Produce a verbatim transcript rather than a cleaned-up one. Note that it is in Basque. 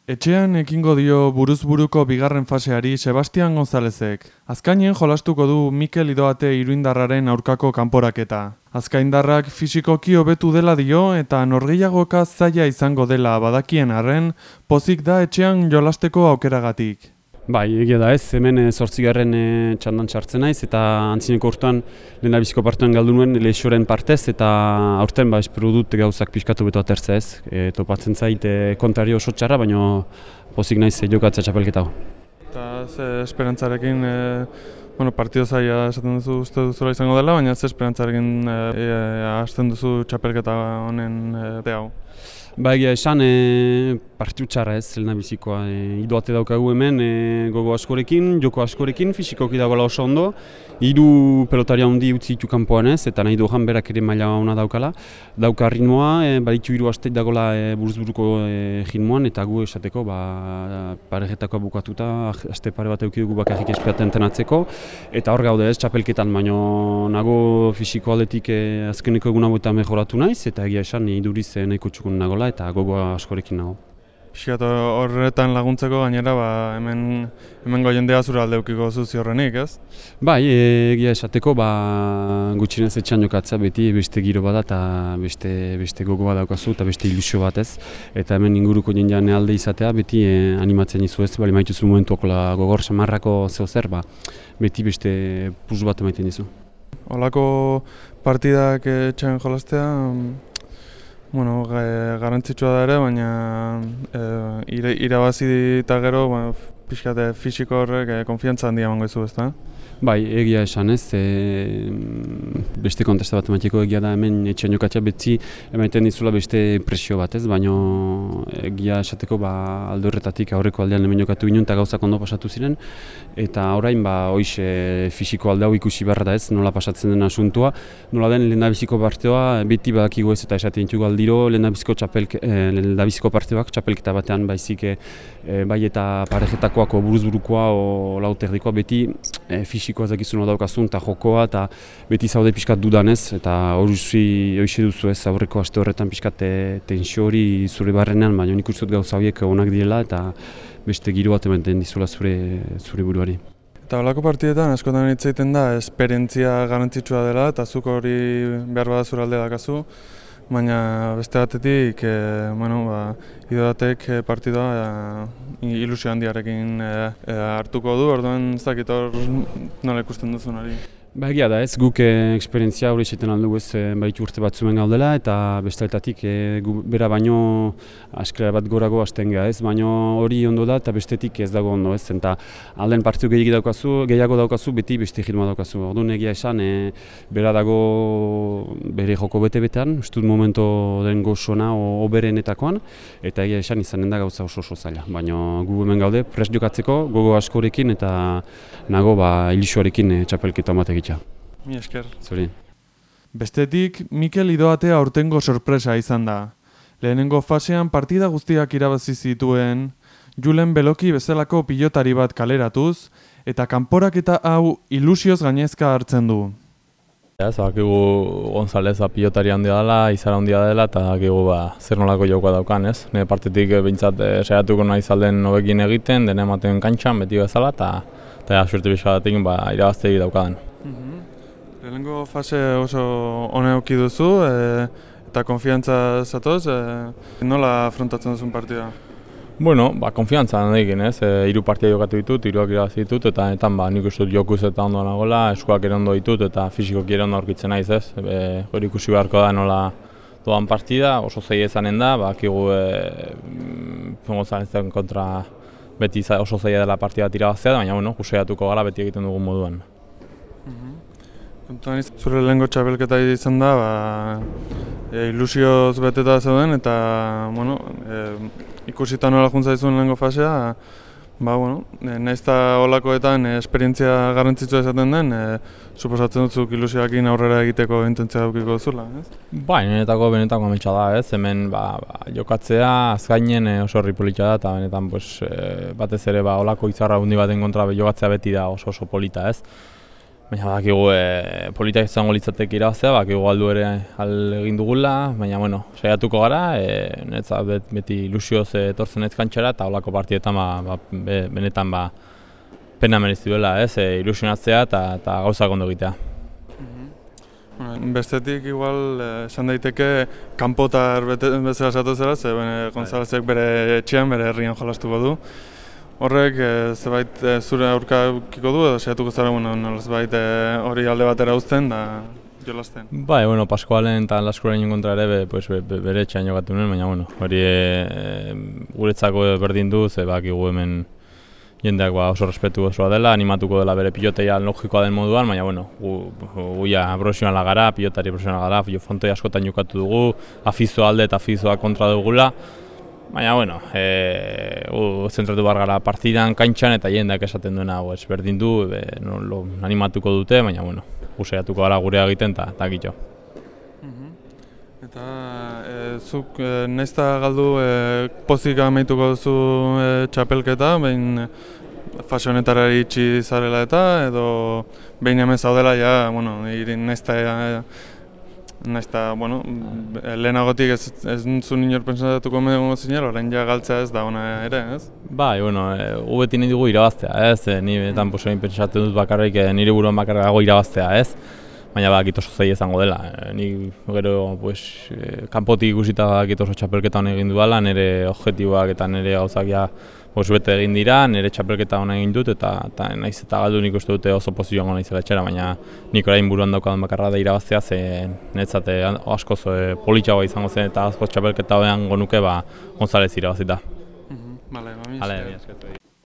Etxean ekingo dio buruz-buruko bigarren faseari Sebastian Gonzalezek. Azkainen jolastuko du Mikel Idoate iruindarraren aurkako kanporaketa. Azkaindarrak fisikoki hobetu dela dio eta norgehiagoka zaila izango dela badakien arren, pozik da etxean jolasteko aukeragatik. Bai, egia da ez, hemen zortzigarren e, txandan txartzen naiz eta antzineko urtean lehendabiziko partean galdu nuen Leixoren partez eta aurten ba, espero dut gauzak pixkatu beto atertza ez. E, topatzen zait e, kontari oso txarra, baina pozik naiz e, jokatzea txapelketa. Eta ze esperantzarekin, e, bueno, partido zaila esaten duzu uste duzula izango dela, baina ze esperantzarekin e, e, hasten duzu txapelketa honen e, hau? Ba egia esan, e, partiu txarra ez, lehendabizikoa. E, Idoate daukagu hemen, e, gogo askorekin, joko askorekin, fisikoki dagoela oso ondo. Hiru pelotaria handi utzi ditu kanpoan ez, eta nahi dohan berak ere maila ona daukala. Dauka ritmoa, e, baditu hiru asteit dagoela e, buruz-buruko e, ritmoan, eta gu esateko ba, parejetakoa bukatuta, aste pare bat eduki dugu bakarrik esperaten tenatzeko. Eta hor gaude ez, txapelketan, baino nago fisiko aldetik e, azkeneko egun hauetan mejoratu naiz, eta egia esan iduriz e, nahiko txukun nagola eta gogoa askorekin nago. Piskat horretan laguntzeko gainera ba, hemen hemengo jendea zure alde eukiko zuzi horrenik, ez? Bai, egia esateko ba, gutxinez etxean jokatzea beti beste giro bada eta beste, beste gogoa daukazu eta beste ilusio bat ez. Eta hemen inguruko jendean alde izatea beti eh, animatzen izu ez, bali maituzu momentuak gogor samarrako zeo zer, ba, beti beste plus bat emaiten dizu. Holako partidak etxean jolastea, bueno, garrantzitsua da ere, baina e, irabazi eta gero ba, pixkate fisiko horrek e, konfiantza handia emango dizu, ezta? Bai, egia esan ez, e, beste kontesta bat emateko egia da hemen etxean jokatzea betzi emaiten dizula beste presio bat ez, baina egia esateko ba, alde horretatik aurreko aldean hemen jokatu ginen eta gauzak ondo pasatu ziren eta orain ba, hoize fisiko alde hau ikusi beharra da ez, nola pasatzen den asuntua, nola den lehendabiziko parteoa beti badakigu ez eta esaten ditugu aldiro lehendabiziko, txapelke, eh, lehendabiziko parteoak txapelketa batean baizik e, bai eta parejetakoako buruz-burukoa o lauterdikoa beti e, fisikoa zakizuna daukazun eta jokoa eta beti zaude pixkat dudanez eta hori hoxe duzu ez aurreko aste horretan pixkat tensio hori zure barrenean, baina nik uste dut gauza horiek onak direla eta beste giro bat ematen dizula zure, zure buruari. Eta holako partidetan askotan hitz egiten da esperientzia garrantzitsua dela eta zuk hori behar bada zure alde dakazu, baina beste batetik e, bueno, ba, Idoatek partidua e, ilusio handiarekin e, e, hartuko du, orduan ez dakit hor nola ikusten duzun hori. Ba egia da ez, guk e, esperientzia hori esaten aldugu ez e, baitu urte bat zuen gaudela eta besteletatik e, gu, bera baino askera bat gorago hasten geha ez, baino hori ondo da eta bestetik ez dago ondo ez, eta alden partidu gehiago daukazu, gehiago daukazu beti beste ritmoa daukazu. Orduan egia esan e, bera dago bere joko bete-betean, ustut momento den gozona oberenetakoan eta egia esan izanen da gauza oso oso zaila, baino gu hemen gaude prest jokatzeko, gogo askorekin eta nago ba, ilusioarekin e, txapelketa bat egitea. Mi esker. Zuri. Bestetik, Mikel Idoate aurtengo sorpresa izan da. Lehenengo fasean partida guztiak irabazi zituen, Julen Beloki bezalako pilotari bat kaleratuz, eta kanporaketa hau ilusioz gainezka hartzen du. Ez, bakigu Gonzalez pilotari handia dela, izara handia dela, eta bakigu ba, zer nolako jokoa daukan, ez? Nire partetik behintzat e, saiatuko nahi zalden hobekin egiten, dena ematen kantxan, beti bezala, eta eta suerte bizkadatik ba, irabaztegi daukadan. Mm-hmm. Lehenengo fase oso ona eduki duzu, e, eta konfiantza zatoz, e, nola afrontatzen duzun partida? Bueno, ba, konfiantza handikin, ez? E, hiru partia jokatu ditut, hiruak irabazi ditut, eta netan ba, nik uste dut jokuz eta ondo nagoela, eskuak ere ondo ditut, eta fisikoki ere ondo aurkitzen naiz, ez? E, hori ikusi beharko da nola doan partida, oso zaila izanen da, bakigu e, Gonzalezen kontra beti oso zaila dela partida bat irabaztea, baina bueno, kusaiatuko gara beti egiten dugun moduan. Kontuan izan zure lehengo txapelketa izan da, ba, e, ilusioz beteta zeuden eta bueno, e, ikusita nola juntza izun lehengo fasea, ba, bueno, e, nahiz eta holakoetan e, esperientzia garrantzitsua esaten den, e, suposatzen dutzuk ilusioakin aurrera egiteko intentzia daukiko duzula, ez? Ba, niretako benetako ametsa da, ez? Hemen ba, ba, jokatzea azkainen e, oso herri polita da, eta benetan pues, e, batez ere ba, holako izarra hundi baten kontra jokatzea beti da oso oso polita, ez? Baina bakigu e, politak izango litzateke irabaztea, bakigu aldu ere al egin dugula, baina bueno, saiatuko gara, e, netza bet, beti ilusioz etortzen ez kantxara eta holako partietan ba, ba, be, benetan ba, pena merezi duela, ez, e, ilusionatzea eta, eta gauzak ondo egitea. Bestetik igual esan daiteke kanpotar bezala esatu zela, ze Gonzalezek bere etxean, bere herrian jolastuko du. Horrek zebait zure aurka eukiko du edo saiatuko zara nolazbait hori alde batera uzten da jolasten? Bai, bueno, Pascualen eta Laskurainen kontra ere be, pues, be, be, bere etxean jokatu nuen, baina bueno, hori e, guretzako berdin du, ze bakigu hemen jendeak ba, oso respetu osoa dela, animatuko dela bere piloteia logikoa den moduan, baina bueno, gu, gu ja profesionala gara, pilotari profesionala gara, frontoi askotan jokatu dugu, afizoa alde eta afizoa kontra dugula. Baina, bueno, e, gu zentratu behar gara partidan, kantxan eta jendeak esaten duena pues, berdin du, be, no, lo, animatuko dute, baina, bueno, gu saiatuko gara gurea egiten eta gitxo. Eta e, zuk e, naizta galdu e, pozik amaituko duzu e, txapelketa, behin fase honetara iritsi zarela eta edo behin hemen zaudela ja, bueno, naizta e, naizta, bueno, lehenagotik ez, ez zuen inor pentsatuko egongo zinela, orain ja galtzea ez da ona ere, ez? Bai, bueno, e, gu beti nahi dugu irabaztea, ez? E, ni betan posoin pentsatzen dut bakarrik, e, nire buruan bakarrago irabaztea, ez? Baina bakit oso zei izango dela. E, ni gero, pues, e, kanpotik ikusita bakit oso txapelketa hona egin dudala, nire objektiboak eta nire gauzak ja pues, bete egin dira, nire txapelketa hona egin dut, eta, eta naiz eta galdu nik uste dute oso pozizioan naizela etxera, baina nik orain buruan daukadan bakarra da irabaztea, ze netzate askoz e, politxagoa izango zen eta askoz txapelketa honean gonuke ba, Gonzalez irabazita. Bale, ba, mi esker.